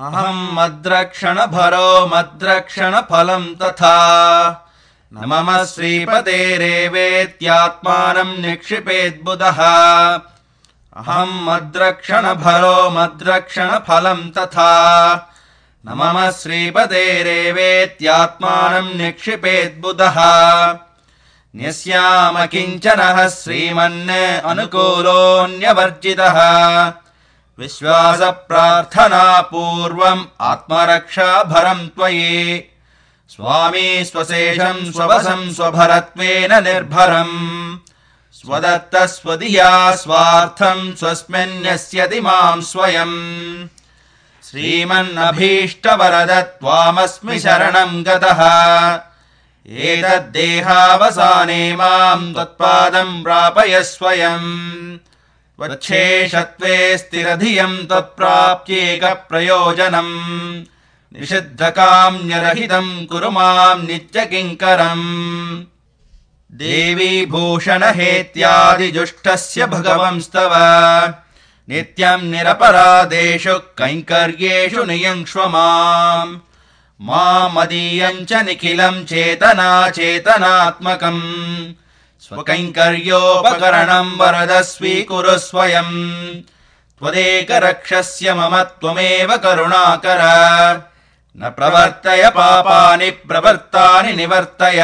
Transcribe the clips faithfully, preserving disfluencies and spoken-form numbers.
अहम् मद्रक्षणभरो मद्रक्षणफलम् तथा न मम श्रीपतेरेवेत्यात्मानम् निक्षिपेद्बुधः अहम् मद्रक्षणभरो मद्रक्षणफलम् तथा न मम श्रीपतेरेवेत्यात्मानम् निक्षिपेद्बुधः न्यस्याम किञ्चनः श्रीमन् अनुकूलोऽन्यवर्जितः विश्वासप्रार्थना पूर्वम् आत्मरक्षाभरम् त्वयि स्वामी स्वशेषम् स्ववशम् स्वभरत्वेन निर्भरम् स्वदत्तस्वदीया स्वार्थम् स्वस्मिन्न्यस्यति माम् स्वयम् श्रीमन्नभीष्टवरद त्वामस्मि शरणम् गतः एतद्देहावसाने माम् त्वत्पादम् प्रापय स्वयम् त्वच्छेषत्वे स्थिरधियम् त्वत्प्राप्त्येकप्रयोजनम् निषिद्धकाम्यरहितम् कुरु माम् नित्यकिङ्करम् देवी भूषणहेत्यादिजुष्टस्य भगवंस्तव नित्यम् निरपराधेषु कैङ्कर्येषु नियङ्क्ष्व माम् मामदीयम् च निखिलम् चेतना चेतनात्मकम् स्वकैङ्कर्योपकरणम् वरद स्वीकुरु स्वयम् त्वदेकरक्षस्य मम त्वमेव करुणाकर न प्रवर्तय पापानि प्रवृत्तानि निवर्तय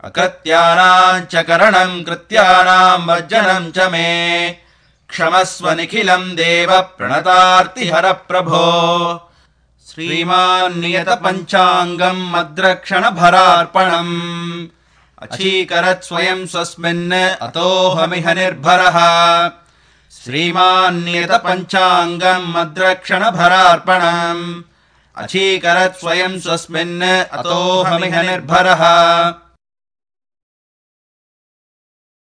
अकृत्यानाम् च करणम् कृत्यानाम् वर्जनम् च मे क्षमस्व निखिलम् देव प्रणतार्तिहर प्रभो श्रीमान् नियत पञ्चाङ्गम् मद्रक्षणभरार्पणम् अचीकरत् स्वयं स्वस्मिन् अतोऽहमिह निर्भरः श्रीमान् नियत पञ्चाङ्गम् मद्रक्षणभरार्पणम् अचीकरत् स्वयं स्वस्मिन् अतोऽहमिह निर्भरः।